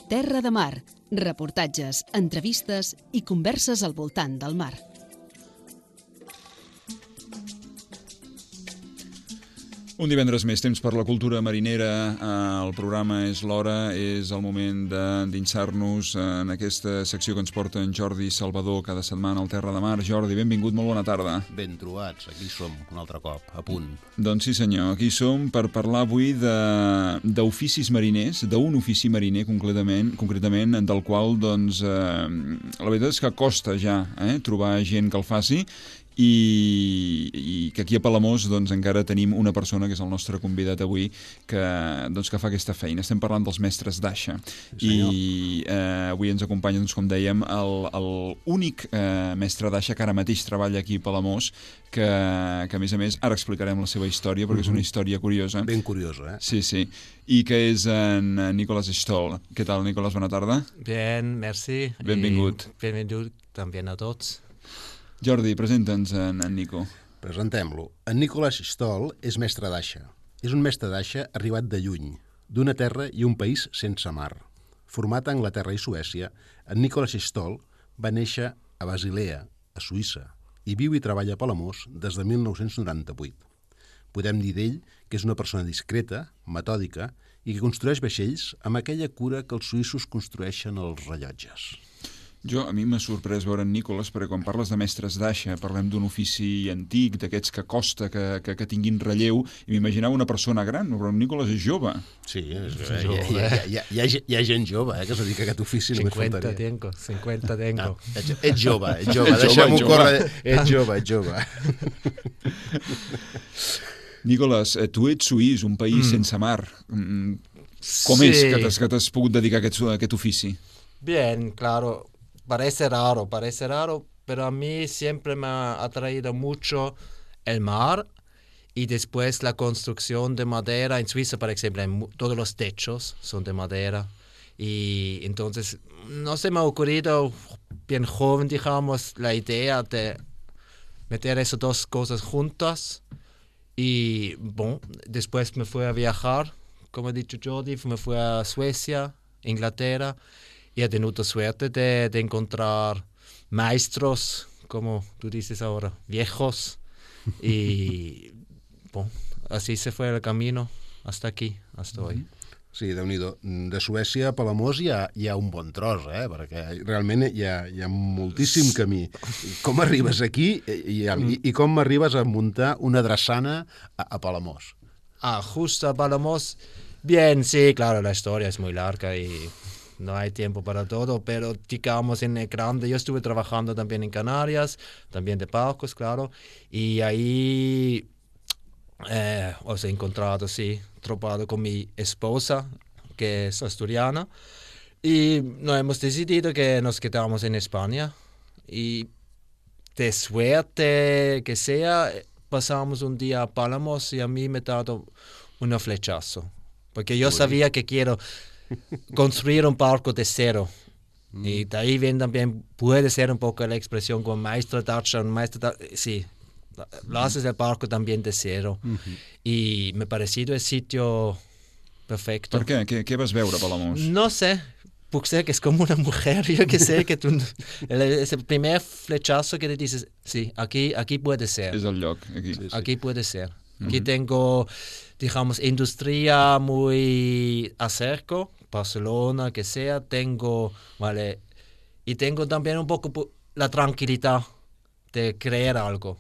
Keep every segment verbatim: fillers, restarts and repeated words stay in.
Terra de Mar, reportatges, entrevistes i converses al voltant del mar. Un divendres més, temps per la cultura marinera. El programa és l'hora, és el moment d'endinsar-nos en aquesta secció que ens porta en Jordi Salvador cada setmana al Terra de Mar. Jordi, benvingut, molt bona tarda. Ben trobats, aquí som un altre cop, a punt. Doncs sí senyor, aquí som per parlar avui d'oficis mariners, d'un ofici mariner concretament, concretament del qual doncs, eh, la veritat és que costa ja eh, trobar gent que el faci. I, i que aquí a Palamós doncs, encara tenim una persona que és el nostre convidat avui que, doncs, que fa aquesta feina. Estem parlant dels mestres d'aixa i eh, avui ens acompanya, doncs, com dèiem, l'únic eh, mestre d'aixa que ara mateix treballa aquí a Palamós, que, que a més a més ara explicarem la seva història perquè uh-huh. és una història curiosa. Ben curiosa, eh? Sí, sí. I que és en Nicolás Stoll. Què tal, Nicolás? Bona tarda. Bien, merci. Benvingut. I benvingut també a tots. Jordi, presenta'ns en, en Nico. Presentem-lo. En Nicolás Stoll és mestre d'aixa. És un mestre d'aixa arribat de lluny, d'una terra i un país sense mar. Format a Anglaterra i Suècia, en Nicolás Stoll va néixer a Basilea, a Suïssa, i viu i treballa a Palamós des de mil nou-cents noranta-vuit. Podem dir d'ell que és una persona discreta, metòdica i que construeix vaixells amb aquella cura que els suïssos construeixen els rellotges. Jo, a mi m'ha sorprès veure en Nicolás, perquè quan parles de mestres d'aixa, parlem d'un ofici antic, d'aquests que costa, que, que, que tinguin relleu, i m'imaginava una persona gran, però en Nicolás és jove. Sí, és, és jove. Hi, ha, hi, ha, hi, ha, hi ha gent jove eh, que es dedica a aquest ofici. cinquanta tengo, cinquanta tengo. No, ets, ets jove, ets jove, deixem-ho córrer. Ets jove, ets jove. Nicolás, tu ets suís, un país mm. sense mar. Com sí. és que t'has pogut dedicar a aquest, a aquest ofici? Bien, claro. Parece raro, parece raro, pero a mí siempre me ha atraído mucho el mar y después la construcción de madera. En Suiza, por ejemplo, todos los techos son de madera. Y entonces no se me ha ocurrido, bien joven, digamos, la idea de meter esas dos cosas juntas. Y bueno, después me fui a viajar, como ha dicho Jordi, me fui a Suecia, Inglaterra. Y he tenido suerte de, de encontrar maestros, como tú dices ahora, viejos. Y bueno, así se fue el camino hasta aquí, hasta hoy. Sí, Déu-n'hi-do. De Suècia a Palamós hi ha, hi ha un bon tros, eh? Perquè realment hi ha, hi ha moltíssim camí. Com arribes aquí i, i, i com arribes a muntar una drassana a, a Palamós? Ah, justo a Palamós. Bien, sí, claro, la historia es muy larga y no hay tiempo para todo, pero digamos en el grande, yo estuve trabajando también en Canarias, también de barcos, claro, y ahí eh, os he encontrado, sí, tropado con mi esposa, que es asturiana, y nos hemos decidido que nos quedamos en España, y de suerte que sea, pasamos un día a Palamós y a mí me ha dado un flechazo, porque yo sabía que quiero construir un barco de cero. Mm. Y de ahí viene también, puede ser un poco la expresión como maestro d'aixa, un maestro d'aixa, sí, lo haces el barco también de cero. Mm-hmm. Y me ha parecido el sitio perfecto. ¿Por qué? ¿Qué, qué vas a veure a Palamós? No sé, puede ser que es como una mujer, yo que sé, que tú, el, ese primer flechazo que te dices, sí, aquí, aquí puede ser. Es el lloc, aquí. Sí, sí. Aquí puede ser. Aquí mm-hmm. tengo, digamos, industria muy acerco, Barcelona, que sea, tengo, vale, y tengo también un poco la tranquilidad de creer algo,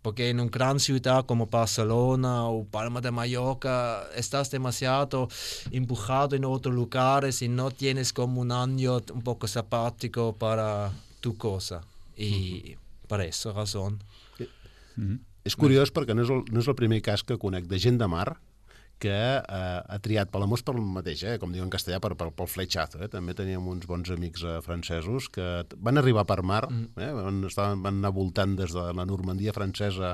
porque en una gran ciudad como Barcelona o Palma de Mallorca estás demasiado empujado en otros lugares y no tienes como un año un poco sabático para tu cosa, y mm-hmm. per esa razón. Mm-hmm. És curiós perquè no és, el, no és el primer cas que conec de gent de mar que eh, ha triat Palamós pel mateix, eh, com diuen en castellà, per, per, pel flechazo. Eh? També teníem uns bons amics eh, francesos que van arribar per mar, eh? van, estaven, van anar voltant des de la Normandia francesa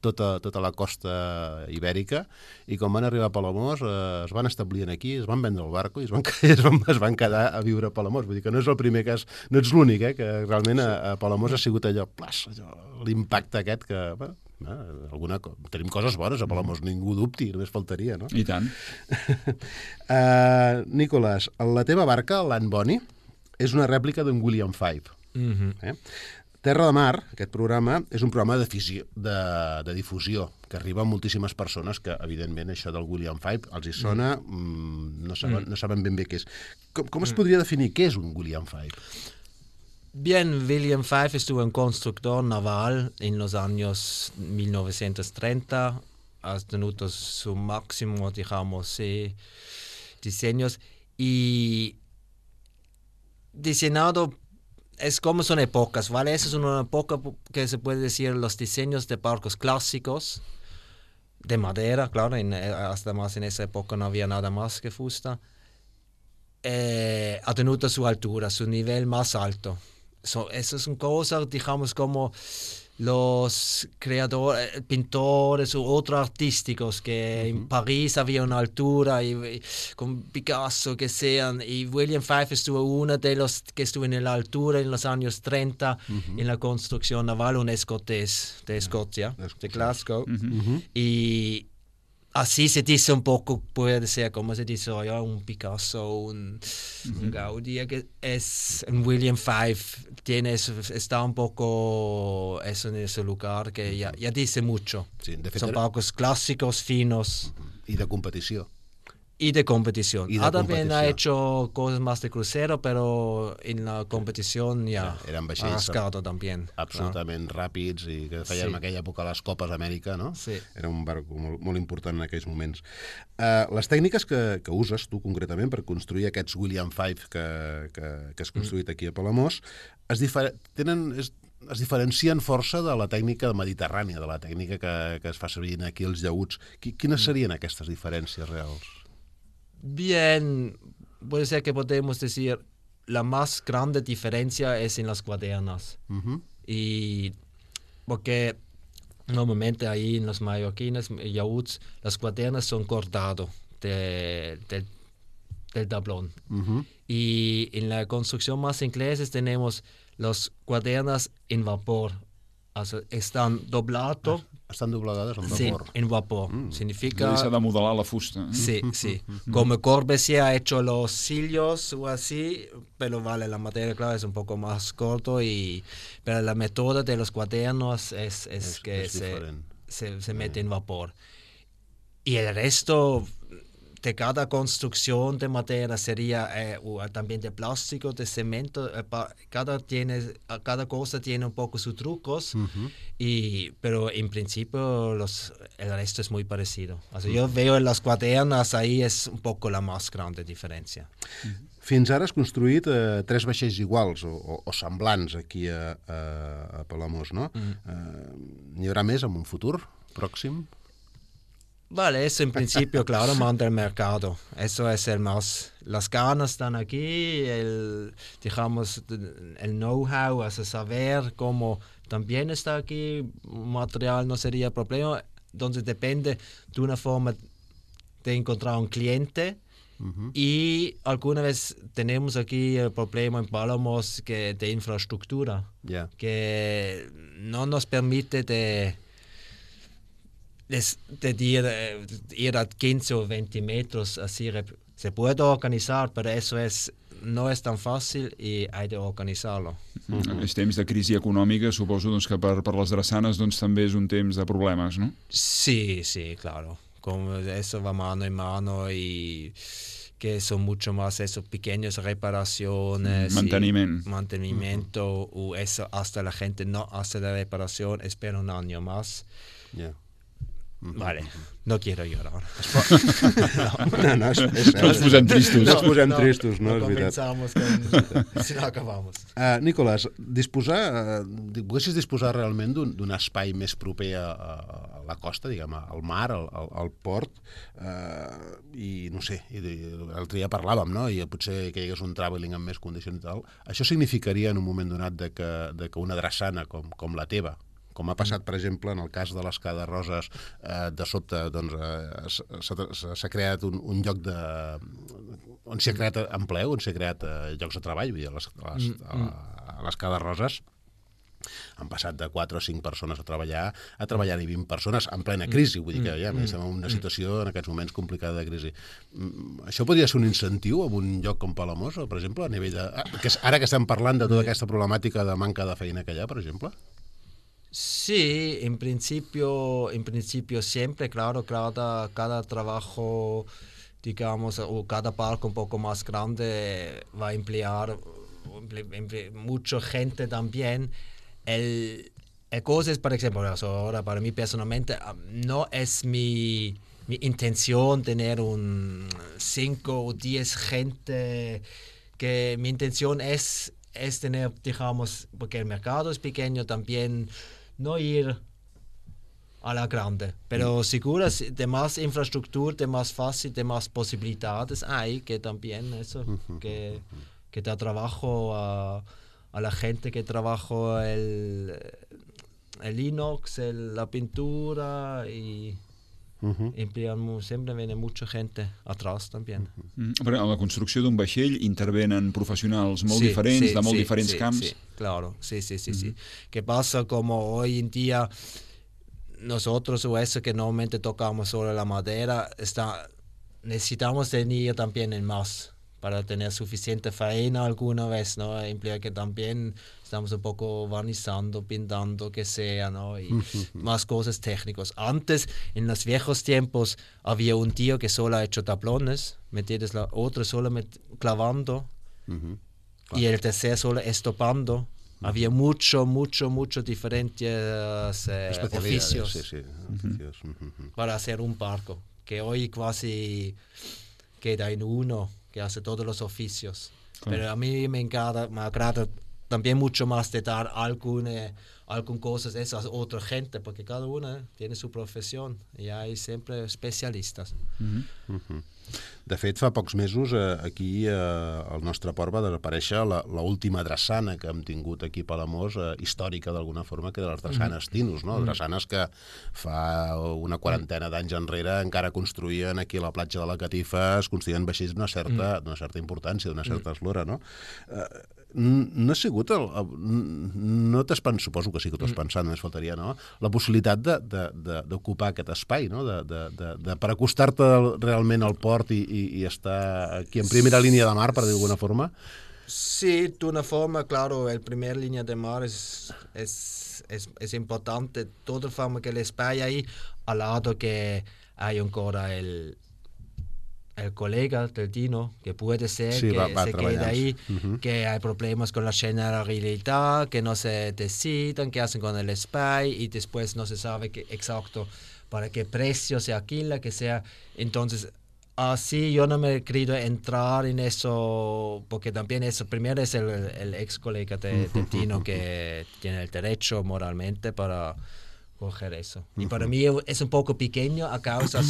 tota, tota la costa ibèrica, i quan van arribar a Palamós eh, es van establir aquí, es van vendre el barco i es van, es, van, es van quedar a viure a Palamós. Vull dir que no és el primer cas, no ets l'únic, eh, que realment a, a Palamós ha sigut allò, plas, allò l'impacte aquest que... Bueno, Eh? Alguna, tenim coses bones a Palamós, ningú dubti, només faltaria, no? I tant. uh, Nicolás, la teva barca, l'Anne Bonny, és una rèplica d'un William Five. Mhm. Eh? Terra de Mar, aquest programa, és un programa de, fisio, de, de difusió que arriba a moltíssimes persones que, evidentment, això del William Five els hi sona, mm, no, saben, no saben ben bé què és. Com, com es podria definir què és un William Five? Bien, William Five estuvo un constructor naval en los años mil novecientos treinta, ha tenido su máximo, digamos, eh, diseños y diseñado. Es como son épocas, ¿vale? Esa es una época que se puede decir los diseños de barcos clásicos, de madera, claro, en, hasta más en esa época no había nada más que fusta. Eh, ha tenido su altura, su nivel más alto. So, esas son cosas, digamos, como los creadores, pintores u otros artísticos que uh-huh. en París había una altura y, y con Picasso que sean, y William Five estuvo uno de los que estuvo en la altura en los años treinta uh-huh. en la construcción naval, un escocés de Escocia, uh-huh. de Glasgow, Uh-huh. y así se dice un poco, puede ser como se dice hoy, un Picasso, un, uh-huh. un Gaudí, que es un William Five, tiene eso, está un poco eso en ese lugar que uh-huh. ya, ya dice mucho. Sí, de fet, son era... barcos clásicos, finos. Uh-huh. I de competició. Y de competición. Y de ah, también competición. ha hecho cosas más de crucero, pero en la competición ya Eren ha vaixells rascado también. absolutament claro. ràpids i que feien sí. en aquella època les Copes d'Amèrica, no? Sí. Era un barc molt, molt important en aquells moments. Uh, les tècniques que, que uses tu concretament per construir aquests William Five que, que, que has construït aquí a Palamós es, difer tenen, es, es diferencien força de la tècnica mediterrània, de la tècnica que, que es fa servir aquí als llaüts. Quines serien aquestes diferències reals? Bien, puede ser que podemos decir la más grande diferencia es en las cuadernas. Uh-huh. Y porque normalmente ahí en los mallorquines, yachts, las cuadernas son cortadas de, de, del tablón. Uh-huh. Y en la construcción más inglesa tenemos las cuadernas en vapor. O sea, están doblados. Ah. Estan doblegades en sí, vapor. en vapor. Mm. Significa... S'ha de modelar la fusta. Sí, sí. Como Corbusier ha hecho los sillos o así, pero vale, la materia, claro, es un poco más corto, y pero la método de los cuadernos es, es, es que es se, se, se mete en vapor. Y el resto de cada construcción de madera sería eh, o también de plástico, de cemento, eh, pa, cada, tiene, cada cosa tiene un poco sus trucos, uh-huh. y, pero en principio los, el resto es muy parecido. O sea, uh-huh. Yo veo en las cuadernas, ahí es un poco la más grande diferència. Uh-huh. Fins ara has construït eh, tres vaixells iguals o, o, o semblants aquí a, a, a Palamós, no? Uh-huh. eh, N'hi haurà més en un futur pròxim? Vale, eso en principio, claro, manda el mercado. Eso es el más... Las ganas están aquí, el, digamos, el know-how, o sea, saber cómo también está aquí, material no sería problema. Entonces depende de una forma de encontrar un cliente. Uh-huh. Y alguna vez tenemos aquí el problema en Palamós que de infraestructura, yeah. que no nos permite de... de ir, ir a quince o veinte metros, así se puede organizar, pero eso es, no es tan fácil y hay de organizarlo. Mm-hmm. En aquests temps de crisi econòmica, suposo doncs, que per, per les drassanes doncs, també és un temps de problemes, no? Sí, sí, claro. Como eso va mano en mano y que son mucho más eso, pequeñas reparaciones. Mantenimiento. Mantenimiento, uh-huh. o eso hasta la gente no hace la reparación, espera un año más. Yeah. Vale, no quiero llorar. No, no, és, és, no ens posem tristos. No ens posem no, tristos, no, no és veritat. Començamos con... si no acabamos. Uh, Nicolás, disposar, uh, poguessis disposar realment d'un espai més proper a, a la costa, diguem, al mar, al, al, al port, uh, i no sé, i l'altre dia parlàvem, no?, i potser que hi hagués un travelling amb més condicions i tal. Això significaria en un moment donat de que, de que una drassana com, com la teva, com ha passat, per exemple, en el cas de les Cadarroses, eh, de sobte doncs, eh, s'ha creat un, un lloc de... on s'ha creat empleu, on s'ha creat eh, llocs de treball, vull dir, a les, a les, a les Cadarroses, Han passat de quatre o cinc persones a treballar a treballar ni vint persones en plena crisi, vull dir que ja estem en una situació en aquests moments complicada de crisi. Això podria ser un incentiu en un lloc com Palamós, per exemple, a nivell de... Ara que estem parlant de tota aquesta problemàtica de manca de feina que hi ha, per exemple? Sí, en principio, en principio siempre, claro, cada, cada trabajo, digamos, o cada parque un poco más grande va a emplear mucha gente también. El, el cosa es, por ejemplo, ahora para mí personalmente, no es mi, mi intención tener un cinco o diez gente, que mi intención es, es tener, digamos, porque el mercado es pequeño, también no ir a la grande, pero mm. seguro de más infraestructura, de más fácil, de más posibilidades hay, que también eso, que, que da trabajo a... a la gente que trabajó el, el inox, el, la pintura y uh-huh. emplean, siempre viene mucha gente atrás también. Uh-huh. Però a la construcció d'un vaixell intervenen professionals molt sí, diferents, sí, de molt sí, diferents sí, camps. Sí, claro, sí, sí, sí, uh-huh. sí. ¿Qué pasa? Como hoy en día nosotros o eso que normalmente tocamos solo la madera, está, necesitamos tener también en más para tener suficiente faena alguna vez, ¿no? Implica que también estamos un poco barnizando, pintando, que sea, ¿no? Y uh-huh. más cosas técnicas. Antes, en los viejos tiempos, había un tío que solo ha hecho tablones, ¿entiendes? La otra solo met- clavando uh-huh. claro. Y el tercer solo estopando. Uh-huh. Había mucho, mucho, mucho diferentes eh, oficios, sí, sí. oficios. Uh-huh. para hacer un barco, que hoy casi queda en uno, que hace todos los oficios. Claro. Pero a mí me encanta, me agrada también mucho más de dar alguna, algunas cosas a esas otra gente, porque cada una tiene su profesión y hay siempre especialistas. Uh-huh. Uh-huh. De fet, fa pocs mesos eh, aquí eh, al nostre port va desaparèixer l'última drassana que hem tingut aquí a Palamós, eh, històrica d'alguna forma, que de les drassanes Tinus, no? Drassanes que fa una quarantena d'anys enrere encara construïen aquí a la platja de la Catifa, es construïen vaixells d'una certa, d'una certa importància, d'una certa eslora, no? Eh, no ha sigut el, no t'has pensat, suposo que sí que t'ho has pensat, només faltaria, no? La possibilitat d'ocupar aquest espai, no? De, de, de, de, per acostar-te realment al port i, i, i estar aquí en primera línia de mar, per dir d'alguna forma. Sí, de una forma, claro, el primer línea de mar es, es, es, es importante, de toda forma que el espacio ahí, al lado que hay ancora el el colega del Dino, que puede ser sí, que va, va se quede ahí, uh-huh. que hay problemas con la generalidad, que no se decidan, que hacen con el spy y después no se sabe que, exacto para qué precio se alquila, que sea. Entonces, así yo no me he querido entrar en eso, porque también eso, primero es el, el ex colega de, de Dino que tiene el derecho moralmente para coger eso. Y para mí es un poco pequeño a causa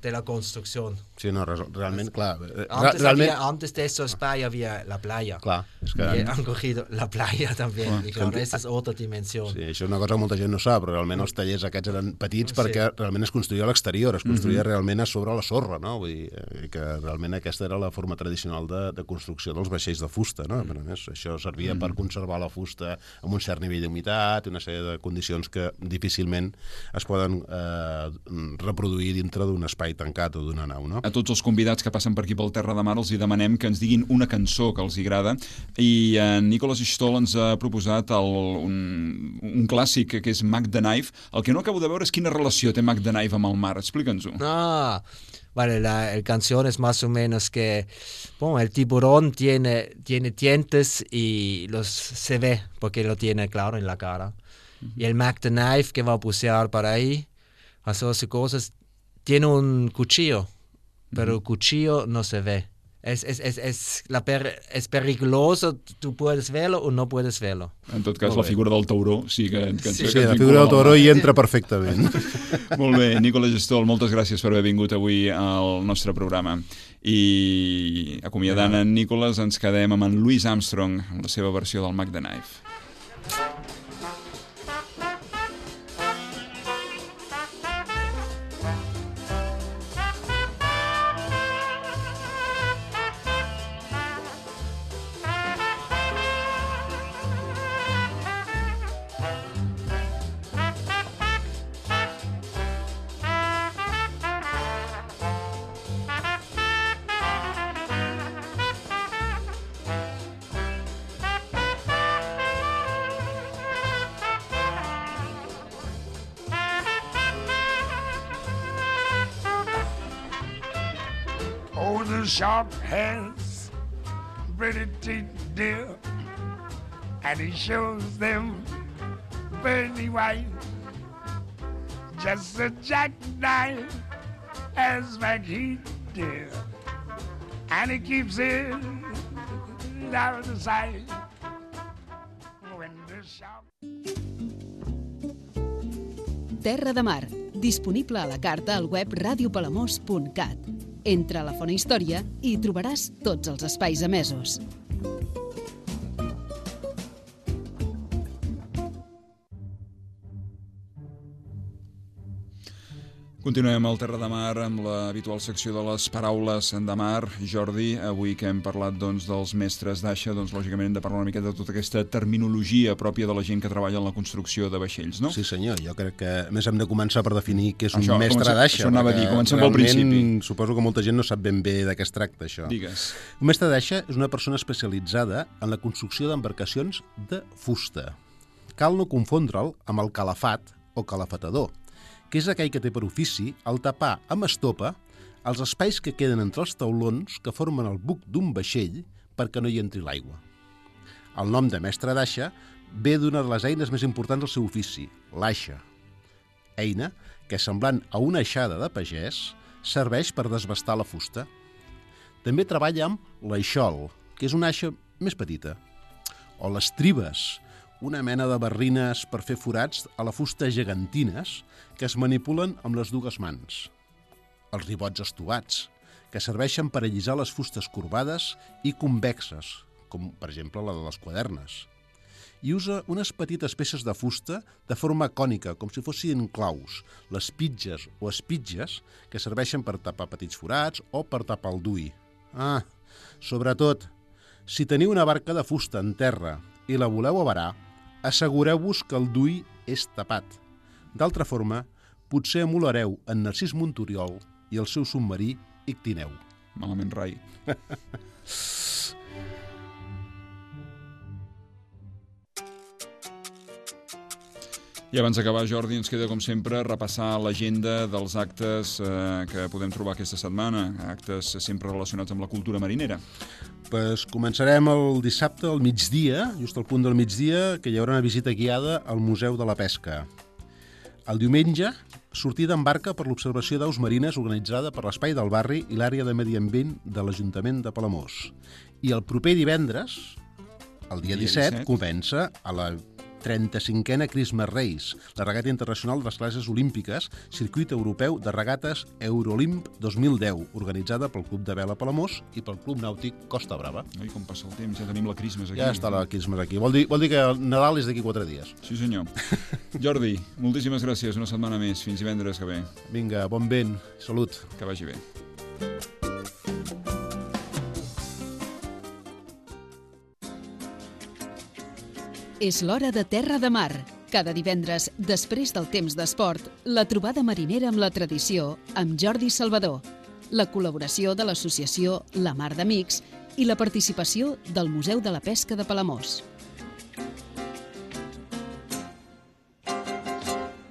de la construcción. Sí, no, realment, clar... Antes, realment... había, antes de eso España había la playa. Clar, és que... Y han cogido la playa también. Clar, y claro, esa es otra dimensión. Sí, això és una cosa que molta gent no sap, però realment els tallers aquests eren petits sí. perquè realment es construïa a l'exterior, es construïa mm-hmm. realment a sobre la sorra, no? Vull dir que realment aquesta era la forma tradicional de, de construcció dels vaixells de fusta, no? Mm. Però més, això servia mm. per conservar la fusta amb un cert nivell d'humitat, una sèrie de condicions que difícilment es poden eh, reproduir dintre d'un espai tancat o d'una nau, no? A tots els convidats que passen per aquí pel Terra de Mar els hi demanem que ens diguin una cançó que els agrada i en Nicholas Stoll ens ha proposat el, un, un clàssic que és Mac the Knife. El que no acabo de veure és quina relació té Mac the Knife amb el mar. Explica'ns-ho. Ah, vale, la el canción es más o menos que bueno, el tiburón tiene, tiene dientes y los se ve porque lo tiene claro en la cara. Uh-huh. Y el Mac the Knife que va a bucear para ahí, hacer cosas, tiene un cuchillo. Pero el cuchillo no se ve. Es, es, es, es, la per, es peligroso, tú puedes verlo o no puedes verlo. En tot cas, la figura del tauró sí que... que sí, sí, la figura del tauró hi entra perfectament. Molt bé, Nicholas Stoll, moltes gràcies per haver vingut avui al nostre programa. I acomiadant en Nicholas ens quedem amb en Louis Armstrong, en la seva versió del Mac the Knife. Oh, the shark has pretty teeth, dear, and he shows them pretty white. Just a jackknife as back he did, and he keeps it out of sight. When the shark... Terra de Mar, disponible a la carta al web radio palamós punt cat. Entra a la Font Història i trobaràs tots els espais emesos. Continuem al Terra de Mar amb l'habitual secció de les paraules de mar. Jordi, avui que hem parlat doncs, dels mestres d'aixa, doncs, lògicament hem de parlar una mica de tota aquesta terminologia pròpia de la gent que treballa en la construcció de vaixells, no? Sí, senyor. Jo crec que a més hem de començar per definir què és un Això, mestre comença, d'aixa. això anava a dir, comencem pel principi. Suposo que molta gent no sap ben bé de què es tracta, això. Digues. Un mestre d'aixa és una persona especialitzada en la construcció d'embarcacions de fusta. Cal no confondre'l amb el calafat o calafatador, que és aquell que té per ofici el tapar amb estopa els espais que queden entre els taulons que formen el buc d'un vaixell perquè no hi entri l'aigua. El nom de mestre d'aixa ve d'una de les eines més importants del seu ofici, l'aixa. Eina que, semblant a una aixada de pagès, serveix per desbastar la fusta. També treballa amb l'aixol, que és una aixa més petita, o les tribes, una mena de barrines per fer forats a la fusta gegantines que es manipulen amb les dues mans. Els ribots estovats, que serveixen per allisar les fustes corbades i convexes, com per exemple la de les quadernes. I usa unes petites peces de fusta de forma cònica, com si fossin claus, les pitges o espitges, que serveixen per tapar petits forats o per tapar el dui. Ah, sobretot, si teniu una barca de fusta en terra i la voleu avarar, assegureu-vos que el dui és tapat. D'altra forma, potser emulareu en Narcís Monturiol i el seu submarí Ictineu. Malament rai. I abans d'acabar, Jordi, ens queda, com sempre, repassar l'agenda dels actes eh, que podem trobar aquesta setmana, actes sempre relacionats amb la cultura marinera. Pues començarem el dissabte al migdia, just al punt del migdia, que hi haurà una visita guiada al Museu de la Pesca. El diumenge, sortida en barca per l'observació d'aus marines organitzada per l'Espai del Barri i l'àrea de Medi Ambient de l'Ajuntament de Palamós. I el proper divendres, el dia disset, comença a la trenta-cinquena Christmas Race, la regata internacional de les classes olímpiques, circuit europeu de regates Eurolimp dos mil deu, organitzada pel Club de Vela Palamós i pel Club Nàutic Costa Brava. Ai, com passa el temps, ja tenim la Christmas aquí. Ja està la Christmas aquí. Vol dir, vol dir que el Nadal és d'aquí quatre dies. Sí, senyor. Jordi, moltíssimes gràcies, una setmana més. Fins divendres que ve. Vinga, bon vent, salut. Que vagi bé. És l'hora de Terra de Mar. Cada divendres, després del temps d'esport, la trobada marinera amb la tradició amb Jordi Salvador, la col·laboració de l'associació La Mar d'Amics i la participació del Museu de la Pesca de Palamós.